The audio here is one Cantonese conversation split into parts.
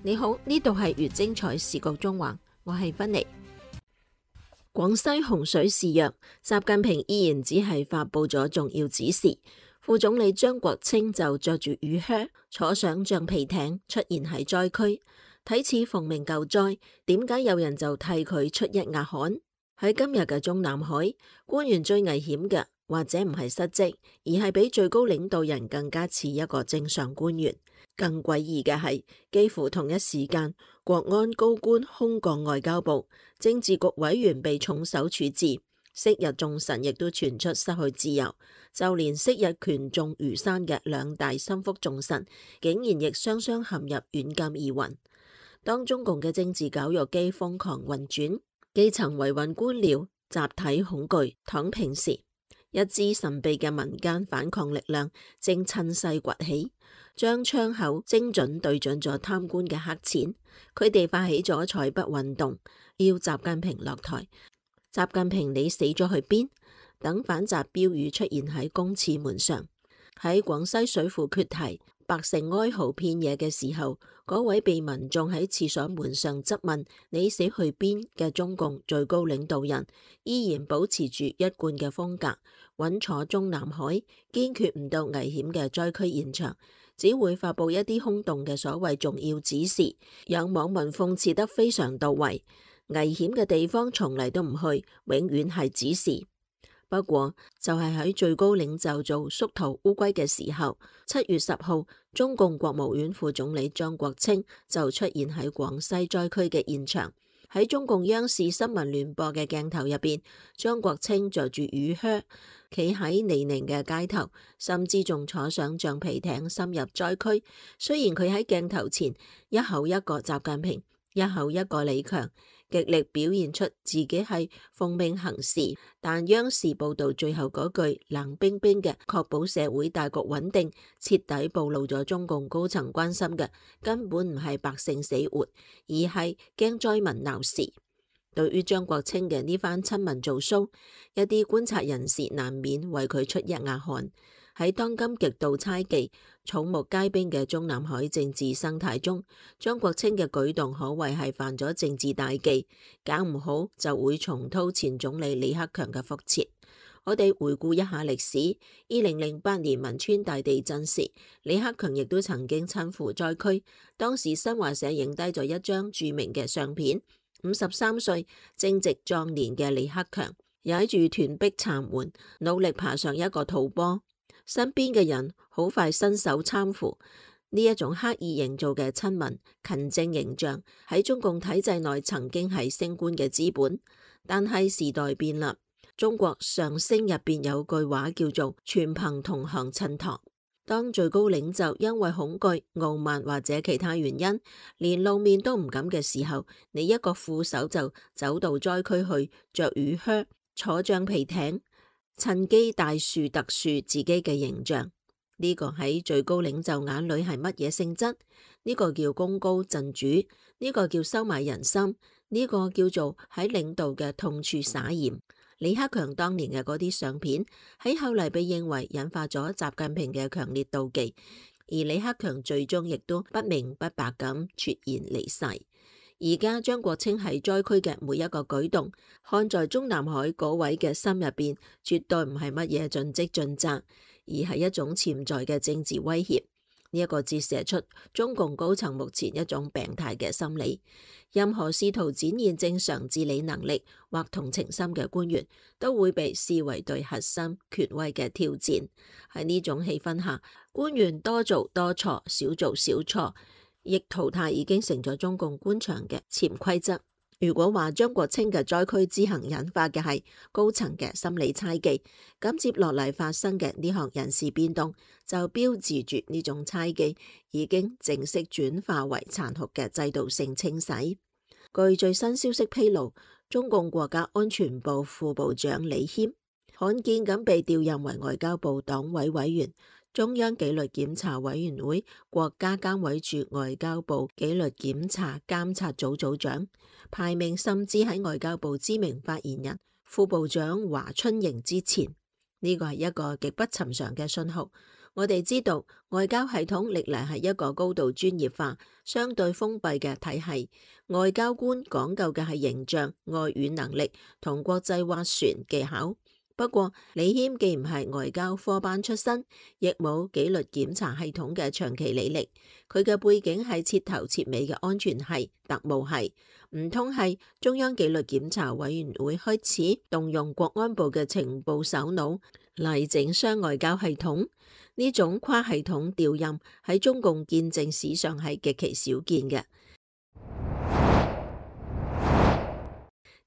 你好，呢度係粵精彩視覺中環，我係芬妮。廣西洪水肆虐，習近平依然只係發佈咗重要指示。副總理張國清就着住雨靴，坐上橡皮艇出現喺災區，睇似奉命救災，點解有人就替佢出一額汗？喺今日嘅中南海，官員最危險嘅或者唔係失職，而係比最高領導人更加似一個正常官員。更詭異嘅係，幾乎同一時間，國安高官空降外交部，政治局委員被重手處置，昔日眾臣亦都傳出失去自由，就連昔日權重如山嘅兩大心腹重臣，竟然亦雙雙陷入軟禁疑雲。當中共嘅政治絞肉機瘋狂運轉，基層維穩官僚集體恐懼躺平時，一支神秘嘅民間反抗力量正趁勢崛起，將槍口精準對準咗貪官嘅黑錢。佢哋發起咗採筆運動，要習近平落台。習近平，你死咗去邊？等反習標語出現喺公廁門上。喺廣西水庫決堤，百姓哀嚎遍野嘅時候，嗰位被民眾喺廁所門上質問你死去邊嘅中共最高領導人，依然保持住一貫嘅風格，穩坐中南海，堅決唔到危險嘅災區現場，只會發佈一啲空洞嘅所謂重要指示，有網民諷刺得非常到位。危險嘅地方從嚟都唔去，永遠係指示。不過就係喺最高領袖做縮頭烏龜嘅時候，7月10號，中共國務院副總理張國清就出現喺廣西災區嘅現場。喺中共央視新聞聯播嘅鏡頭入邊，張國清着住雨靴，企喺泥濘嘅街頭，甚至仲坐上橡皮艇深入災區。雖然佢喺鏡頭前一口一個習近平，一口一個李強，極力表現出自己係奉命行事，但央視報道最後嗰句冷冰冰嘅確保社會大局穩定，徹底暴露咗中共高層關心嘅根本唔係百姓死活，而係驚災民鬧事。對於張國清嘅呢番親民做 show， 一啲觀察人士難免為佢出一額汗。喺當今極度猜忌、草木皆兵嘅中南海政治生態中，張國清嘅舉動可謂係犯咗政治大忌，搞唔好就會重蹈前總理李克強嘅覆轍。我哋回顧一下歷史，2008年汶川大地震時，李克強亦都曾經親赴災區，當時新華社影低咗一張著名嘅相片，53歲正值壯年嘅李克強，踩住斷壁殘垣，努力爬上一個土坡。身邊嘅人好快伸手攙扶，呢一種刻意營造嘅親民勤政形象喺中共體制內曾經係升官嘅資本，但係時代變啦。中國相聲入邊有句話叫做全憑同行襯托。當最高領袖因為恐懼、傲慢或者其他原因，連露面都唔敢嘅時候，你一個副手就走到災區去，着雨靴，坐橡皮艇，趁機大樹特樹自己嘅形象。呢個喺最高領袖眼裏係乜嘢性質？呢個叫功高震主，呢個叫收買人心，呢個叫做喺領導嘅痛處撒鹽。李克強當年嘅嗰啲相片喺後嚟被認為引發咗習近平嘅強烈妒忌，而李克強最終亦都不明不白咁啜然離世。而家張國清喺災區嘅每一個舉動，看在中南海嗰位嘅心入邊，絕對唔係乜嘢盡職盡責，而係一種潛在嘅政治威脅。呢一個折射出中共高層目前一種病態嘅心理。任何試圖展現正常治理能力或同情心嘅官員，都會被視為對核心權威嘅挑戰。喺呢種氣氛下，官員多做多錯，少做少錯，亦淘汰已經成咗中共官場嘅潛規則。如果話張國清嘅災區之行引發嘅係高層嘅心理猜忌，咁接落嚟發生嘅呢項人事變動，就標誌住呢種猜忌已經正式轉化為殘酷嘅制度性清洗。據最新消息披露，中共國家安全部副部長李謙罕見咁被調任為外交部黨委委員、中央紀律檢查委員會國家監委處外交部紀律檢查監察組組長，排名甚至喺外交部知名發言人副部長華春瑩之前。呢個係一個極不尋常嘅信號。我哋知道外交系統歷來係一個高度專業化、相對封閉嘅體系，外交官講究嘅係形象、外語能力同國際斡旋技巧。不過李謙既唔係外交科班出身，亦冇紀律檢查系統嘅長期履歷，佢嘅背景係徹頭徹尾嘅安全系、特務系，唔通係中央紀律檢查委員會開始動用國安部嘅情報首腦嚟整雙外交系統？呢種跨系統調任喺中共建政史上係極其少見嘅。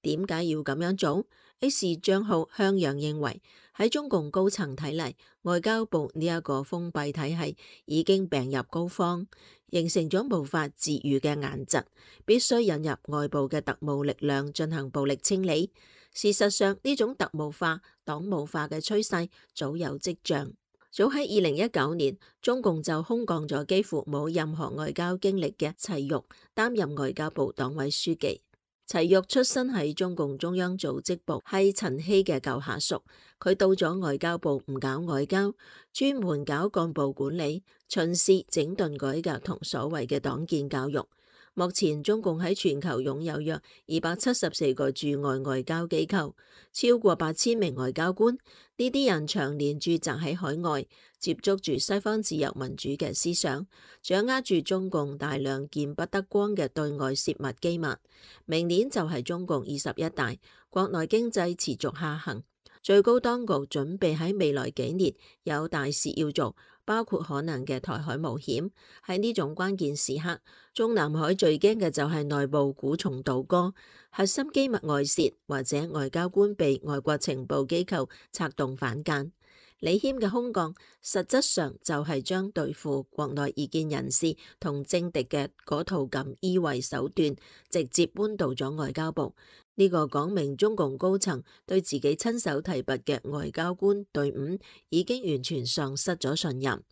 點解要咁樣做？X 賬號向陽認為，喺中共高層睇嚟，外交部呢一個封閉體系已經病入膏肓，形成咗無法治癒嘅癇疾，必須引入外部嘅特務力量進行暴力清理。事實上，呢種特務化、黨務化嘅趨勢早有跡象。早喺2019年，中共就空降咗幾乎冇任何外交經歷嘅齊玉擔任外交部黨委書記。齊玉出身喺中共中央組織部，係陳希嘅舊下屬。佢到咗外交部唔搞外交，專門搞幹部管理、巡視、整頓改革同所謂嘅黨建教育。目前中共喺全球擁有約274個駐外外交機構，超過8000名外交官。呢啲人長年駐紮喺海外，接觸住西方自由民主嘅思想，掌握住中共大量見不得光嘅對外泄密機密。明年就係中共21大，國內經濟持續下行，最高當局準備喺未來幾年有大事要做，包括可能嘅台海冒險。喺呢種關鍵時刻，中南海最驚嘅就係內部蠱蟲倒戈，核心機密外泄，或者外交官被外國情報機構策動反間。李謙嘅空降，實質上就係將對付國內異見人士同政敵嘅嗰套錦衣衛手段，直接搬到咗外交部。呢個講明中共高層對自己親手提拔嘅外交官隊伍已經完全喪失咗信任。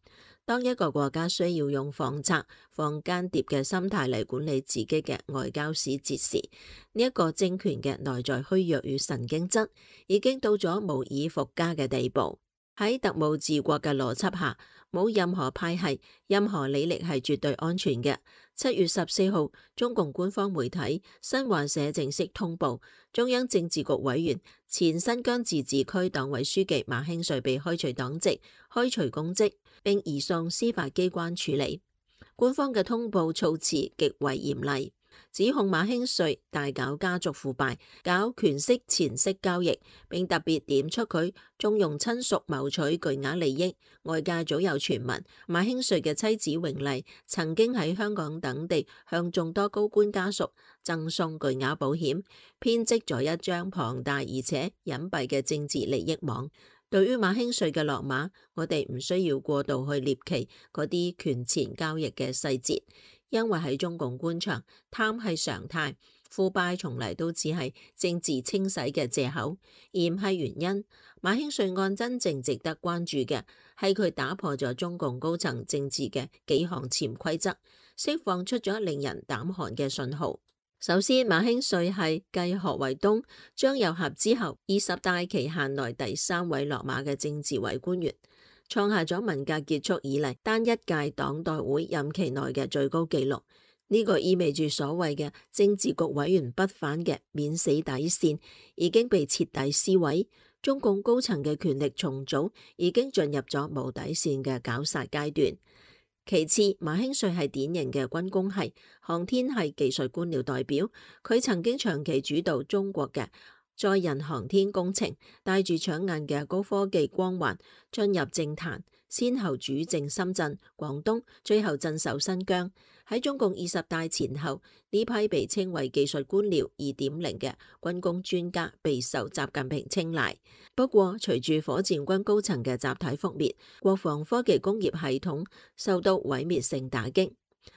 當一個國家需要用放賊、放間諜嘅心態嚟管理自己嘅外交使節時，呢一個政權嘅內在虛弱與神經質已經到咗無以復加嘅地步。喺特務治國嘅邏輯下，冇任何派系、任何履歷係絕對安全嘅。7月14號，中共官方媒體新華社正式通報，中央政治局委員、前新疆自治區黨委書記馬興瑞被開除黨籍、開除公職，並移送司法機關處理。官方嘅通報措辭極為嚴厲，指控馬興瑞大搞家族腐敗、搞權色錢色交易，並特別點出佢縱容親屬謀取巨額利益。外界早有傳聞，馬興瑞嘅妻子榮麗曾經喺香港等地向眾多高官家屬贈送巨額保險，編織咗一張龐大而且隱蔽嘅政治利益網。對於馬興瑞嘅落馬，我哋唔需要過度去獵奇嗰啲權錢交易嘅細節，因為喺中共官場，貪係常態，腐敗從嚟都只係政治清洗嘅借口，而唔係原因。馬興瑞案真正值得關注嘅係佢打破咗中共高層政治嘅幾項潛規則，釋放出咗令人膽寒嘅信號。首先，馬興瑞係繼何衛東、張又俠之後20大期限內第3位落馬嘅政治委官員，創下咗文革結束以嚟單一屆黨代會任期內嘅最高紀錄。呢個意味住所謂嘅政治局委員不反嘅免死底線已經被徹底撕毀，中共高層嘅權力重組已經進入咗無底線嘅絞殺階段。其次，馬興瑞係典型嘅軍工系、航天系技術官僚代表，佢曾經長期主導中國嘅載人航天工程，帶住搶眼嘅高科技光環進入政壇，先後主政深圳、廣東，最後鎮守新疆。喺中共20大前後，呢批被稱為技術官僚2.0嘅軍工專家備受習近平青睞。不過，隨住火箭軍高層嘅集體覆滅，國防科技工業系統受到毀滅性打擊。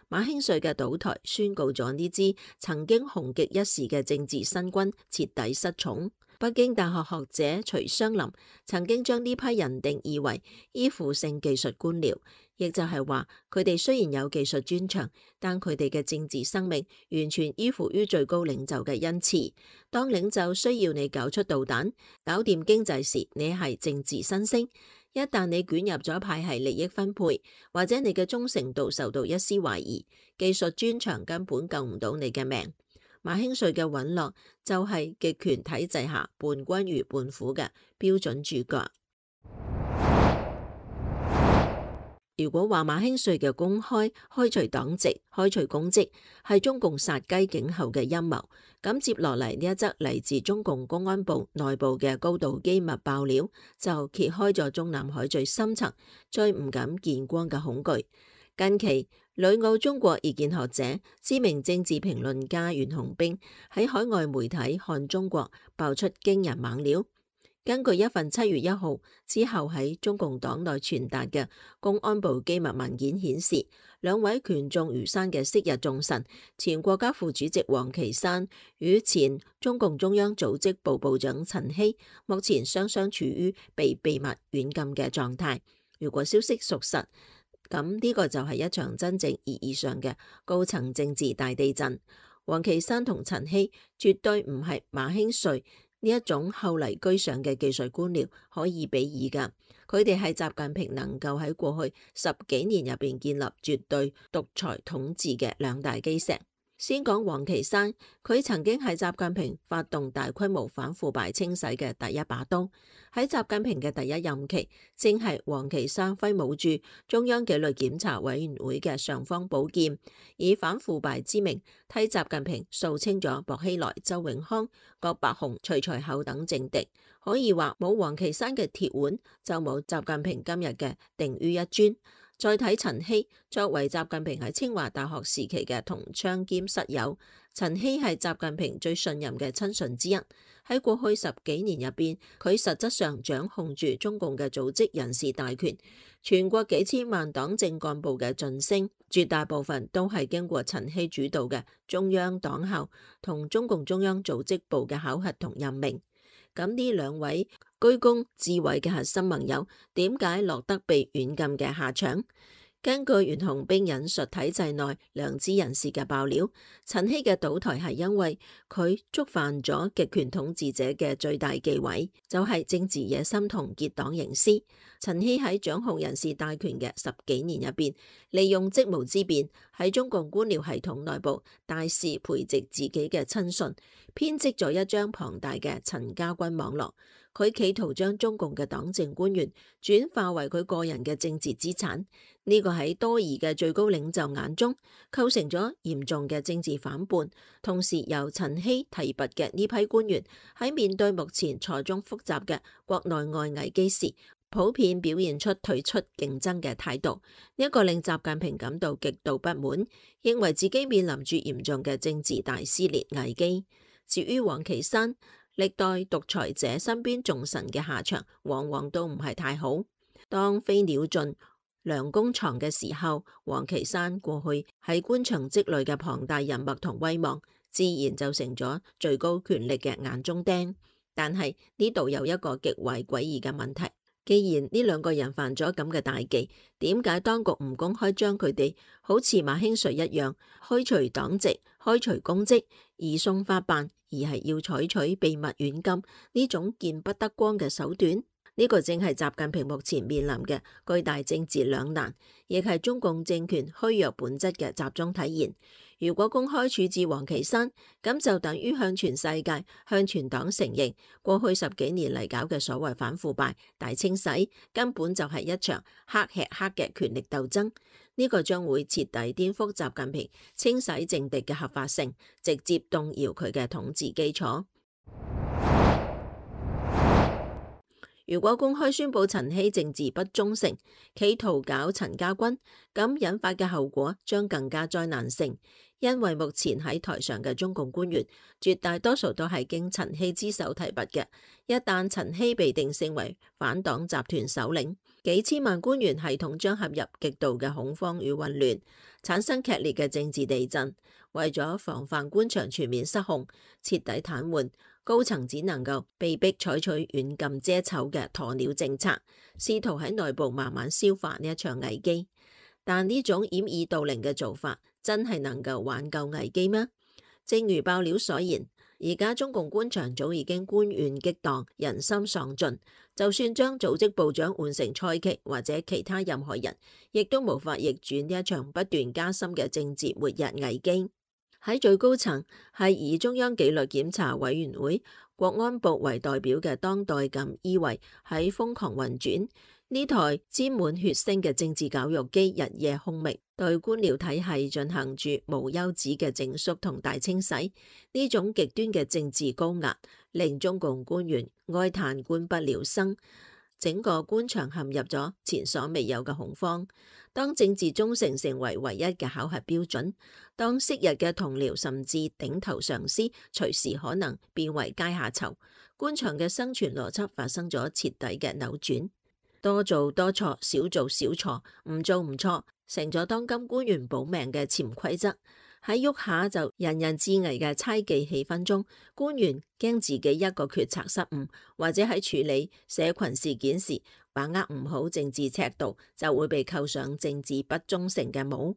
馬興瑞嘅倒台宣告咗呢支曾經紅極一時嘅政治新軍徹底失寵。北京大學學者徐湘林曾經將呢批人定義為依附性技術官僚，亦就係話佢哋雖然有技術專長，但佢哋嘅政治生命完全依附於最高領袖嘅恩賜。當領袖需要你搞出導彈、搞掂經濟時，你係政治新星；一旦你捲入咗派系利益分配，或者你嘅忠誠度受到一絲懷疑，技術專長根本救唔到你嘅命。馬興瑞嘅隕落就係極權體制下伴君如伴虎嘅標準主角。如果話馬興瑞嘅公開開除黨籍、開除公職係中共殺雞儆猴嘅陰謀，咁接落嚟呢一則嚟自中共公安部內部嘅高度機密爆料，就揭開咗中南海最深層、最唔敢見光嘅恐懼。近期，旅澳中國異見學者、知名政治評論家袁洪兵喺海外媒體看中國爆出驚人猛料。根據一份7月1號之後喺中共黨內傳達嘅公安部機密文件顯示，兩位權重如山嘅昔日重臣，前國家副主席王岐山與前中共中央組織部部長陳希，目前雙雙處於被秘密軟禁嘅狀態。如果消息屬實，咁呢個就係一場真正意義上嘅高層政治大地震。王岐山同陳希絕對唔係馬興瑞呢一種後嚟居上嘅技術官僚可以比擬㗎，佢哋係習近平能夠喺過去10幾年入邊建立絕對獨裁統治嘅兩大基石。先講王岐山，佢曾經係習近平發動大規模反腐敗清洗嘅第一把刀。喺習近平嘅第一任期，正係王岐山揮舞住中央紀律檢查委員會嘅尚方寶劍，以反腐敗之名替習近平掃清咗薄熙來、周永康、郭伯雄、徐才厚等政敵。可以話冇王岐山嘅鐵腕，就冇習近平今日嘅定於一尊。再睇陳希，作為習近平喺清華大學時期嘅同窗兼室友，陳希係習近平最信任嘅親信之一。喺過去10幾年入邊，佢實質上掌控住中共嘅組織人事大權，全國幾千萬黨政幹部嘅晉升，絕大部分都係經過陳希主導嘅中央黨校同中共中央組織部嘅考核同任命。咁呢兩位居功至偉嘅核心盟友，點解落得被軟禁嘅下場？根據袁洪兵引述體制內良知人士嘅爆料，陳希嘅倒台係因為佢觸犯咗極權統治者嘅最大忌諱，就係政治野心同結黨營私。陳希喺掌控人事大權嘅10幾年入邊，利用職務之便喺中共官僚系統內部大肆培植自己嘅親信，編織咗一張龐大嘅陳家軍網絡。佢企圖將中共嘅黨政官員轉化為佢個人嘅政治資產，呢個喺多疑嘅最高領袖眼中構成咗嚴重嘅政治反叛。同時由陳希提拔嘅呢批官員喺面對目前錯綜複雜嘅國內外危機時，普遍表現出退出競爭嘅態度，呢個令習近平感到極度不滿，認為自己面臨住嚴重嘅政治大撕裂危機。至於王岐山，歷代獨裁者身邊重臣嘅下場往往都唔係太好。當飛鳥盡，良弓藏嘅時候，王岐山過去喺官場積累嘅龐大人脈同威望，自然就成咗最高權力嘅眼中釘。但係呢度有一個極為詭異嘅問題，既然呢兩個人犯咗咁嘅大忌，點解當局唔公開將佢哋好似馬興瑞一樣開除黨籍、開除公職、移送法辦，而係要採取秘密軟禁呢種見不得光嘅手段？呢個正係習近平目前面臨嘅巨大政治兩難，亦係中共政權虛弱本質嘅集中體現。如果公開處置王岐山，咁就等於向全世界、向全黨承認，過去10幾年嚟搞嘅所謂反腐敗大清洗，根本就係一場黑吃黑嘅權力鬥爭。呢個將會徹底顛覆習近平清洗政敵嘅合法性，直接動搖佢嘅統治基礎。如果公開宣佈陳希政治不忠誠，企圖搞陳家軍，咁引發嘅後果將更加災難性，因為目前喺台上嘅中共官員絕大多數都係經陳希之手提拔嘅。一旦陳希被定性為反黨集團首領，幾千萬官員系統將陷入極度嘅恐慌與混亂，產生劇烈嘅政治地震。為咗防範官場全面失控、徹底癱瘓，高層只能夠被迫採取軟禁遮醜嘅鴕鳥政策，試圖喺內部慢慢消化呢一場危機。但呢種掩耳盜鈴嘅做法，真係能夠挽救危機嗎？正如爆料所言，而家中共官場早已經官怨激盪，人心喪盡，就算將組織部長換成蔡奇或者其他任何人，亦都無法逆轉呢一場不斷加深嘅政治末日危機。喺最高層係以中央紀律檢查委員會、國安部為代表嘅當代感以為喺瘋狂運轉，呢台沾滿血腥嘅政治教育機日夜轟鳴，對官僚體系進行住無休止嘅整肅同大清洗。呢種極端嘅政治高壓，令中共官員哀嘆官不聊生，整個官場陷入咗前所未有嘅恐慌。當政治忠誠成為唯一嘅考核標準，當昔日嘅同僚甚至頂頭上司隨時可能變為階下囚，官場嘅生存邏輯發生咗徹底嘅扭轉。多做多錯，少做少錯，唔做唔錯，成咗當今官員保命嘅潛規則。喺喐下就人人自危嘅猜忌氣氛中，官員驚自己一個決策失誤，或者喺處理社群事件時把握唔好政治尺度，就會被扣上政治不忠誠嘅帽，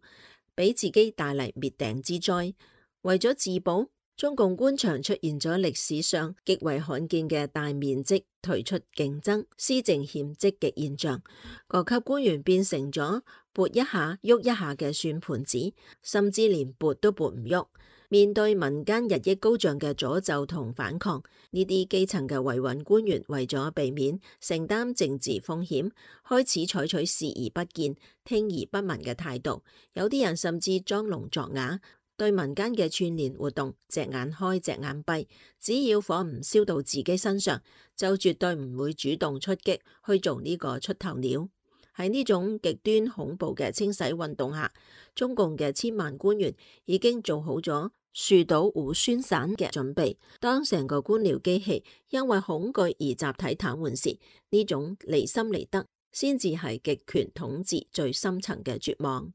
俾自己帶嚟滅頂之災。為咗自保，中共官場出現咗歷史上極為罕見嘅大面積退出競爭、施政欠積極現象。各級官員變成咗撥一下喐一下嘅算盤子，甚至連撥都撥唔喐。面對民間日益高漲嘅詛咒同反抗，呢啲基層嘅維穩官員為咗避免承擔政治風險，開始採取視而不見、聽而不聞嘅態度。有啲人甚至裝聾作啞，對民間嘅串聯活動隻眼開隻眼閉，只要火唔燒到自己身上，就絕對唔會主動出擊去做呢個出頭鳥。喺呢種極端恐怖嘅清洗運動下，中共嘅千萬官員已經做好咗樹倒猢猻散嘅準備。當成個官僚機器因為恐懼而集體癱瘓時，呢種離心離德先至係極權統治最深層嘅絕望。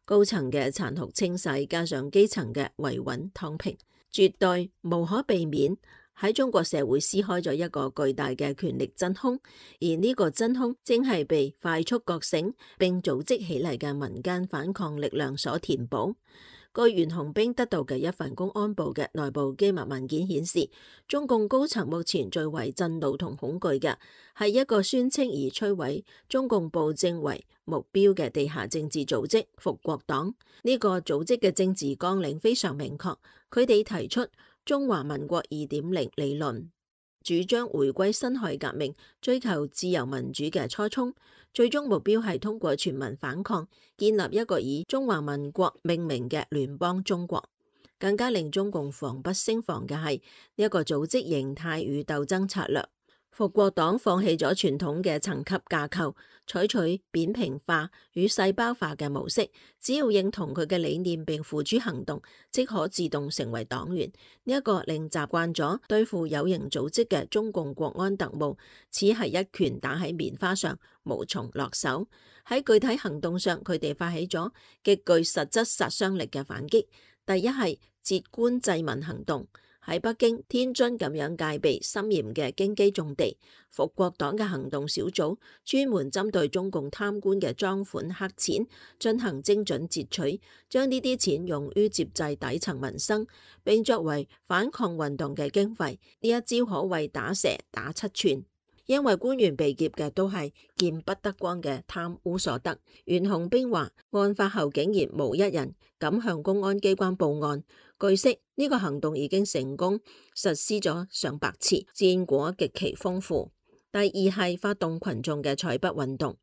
高層嘅殘酷清洗加上基層嘅維穩躺平，絕對無可避免喺中國社會撕開咗一個巨大嘅權力真空，而呢個真空正係被快速覺醒並組織起嚟嘅民間反抗力量所填補。據袁紅兵得到嘅一份公安部嘅內部機密文件顯示，中共高層目前最為震怒同恐懼嘅係一個宣稱以摧毀中共暴政為目標嘅地下政治組織復國黨。呢個組織嘅政治綱領非常明確，佢哋提出中華民國2.0理論，主張回歸辛亥革命，追求自由民主嘅初衷，最終目標係通過全民反抗，建立一個以中華民國命名嘅聯邦中國。更加令中共防不勝防嘅係呢一個組織形態與鬥爭策略。復國黨放棄咗傳統嘅層級架構，採取扁平化與細胞化嘅模式，只要認同佢嘅理念並付諸行動，即可自動成為黨員。呢一個令習慣咗對付有形組織嘅中共國安特務，似係一拳打喺棉花上，無從落手。喺具體行動上，佢哋發起咗極具實質殺傷力嘅反擊。第一係截官濟民行動。喺北京、天津咁樣戒備森嚴嘅京畿重地，復國黨嘅行動小組專門針對中共貪官嘅贓款黑錢進行精準截取，將呢啲錢用於接濟底層民生，並作為反抗運動嘅經費。呢一招可謂打蛇打七寸，因為官員被劫嘅都係見不得光嘅貪污所得。袁紅兵話，案發後竟然無一人敢向公安機關報案。據悉，呢個行動已經成功實施咗上百次，戰果極其豐富。第二係發動群眾嘅採筆運動，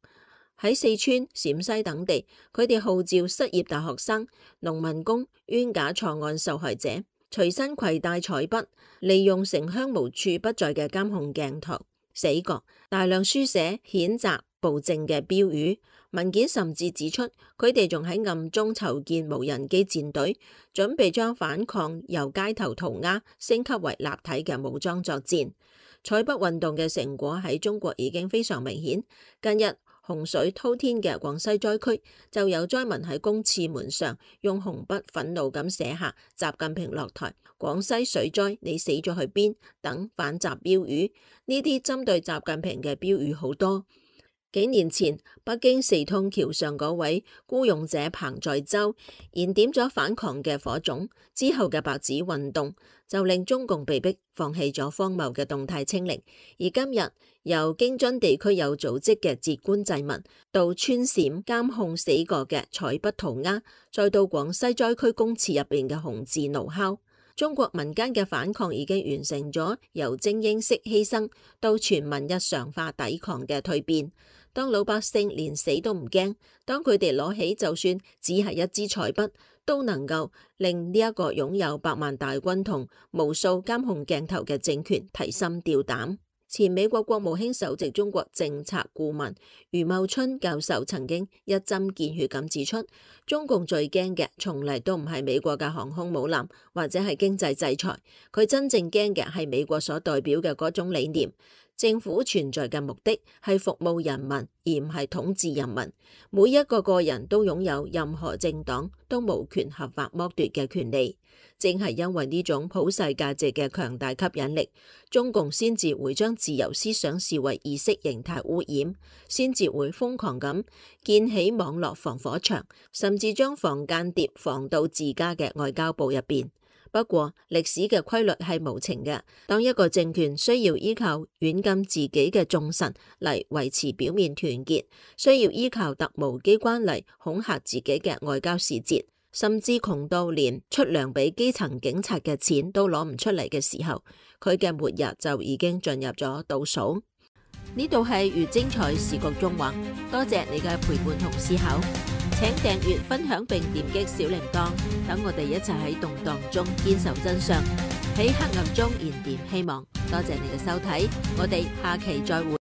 喺四川、陝西等地，佢哋號召失業大學生、農民工、冤假錯案受害者隨身攜帶採筆，利用城鄉無處不在嘅監控鏡頭、死角，大量書寫譴責暴政嘅標語。文件甚至指出，佢哋仲喺暗中籌建無人機戰隊，準備將反抗由街頭塗鴉升級為立體嘅武裝作戰。採筆運動嘅成果喺中國已經非常明顯。近日，洪水滔天嘅廣西災區，就有災民喺公廁門上用紅筆憤怒咁寫下習近平落台、廣西水災你死咗去邊等反習標語。呢啲針對習近平嘅標語好多。幾年前，北京四通橋上嗰位孤勇者彭在洲燃點咗反抗嘅火種，之後嘅白紙運動就令中共被迫放棄咗荒謬嘅動態清零。而今日由京津地區有組織嘅截棺祭民，到穿陝監控死過嘅採筆塗鴉，再到廣西災區公廁入邊嘅紅字怒敲，中國民間嘅反抗已經完成咗由精英式犧牲到全民日常化抵抗嘅蛻變。當老百姓連死都唔驚，當佢哋攞起就算只係一支彩筆，都能夠令呢一個擁有百萬大軍同無數監控鏡頭嘅政權提心吊膽。前美國國務卿首席中國政策顧問余茂春教授曾經一針見血咁指出，中共最驚嘅從嚟都唔係美國嘅航空母艦或者係經濟制裁，佢真正驚嘅係美國所代表嘅嗰種理念。政府存在嘅目的係服務人民，而唔係統治人民。每一個個人都擁有任何政黨都無權合法剝奪嘅權利。正係因為呢種普世價值嘅強大吸引力，中共先至會將自由思想視為意識形態污染，先至會瘋狂咁建起網絡防火牆，甚至將防間諜防到自家嘅外交部入邊。不過歷史嘅規律係無情嘅，當一個政權需要依靠軟禁自己嘅眾臣嚟維持表面團結，需要依靠特務機關嚟恐嚇自己嘅外交使節，甚至窮到連出糧俾基層警察嘅錢都攞唔出嚟嘅時候，佢嘅末日就已經進入咗倒數。呢度係越精彩視覺縱橫，多謝你嘅陪伴同思考。請訂閱、分享並點擊小鈴鐺，等我哋一齊喺動盪中堅守真相，喺黑暗中燃點希望。多謝你嘅收睇，我哋下期再會。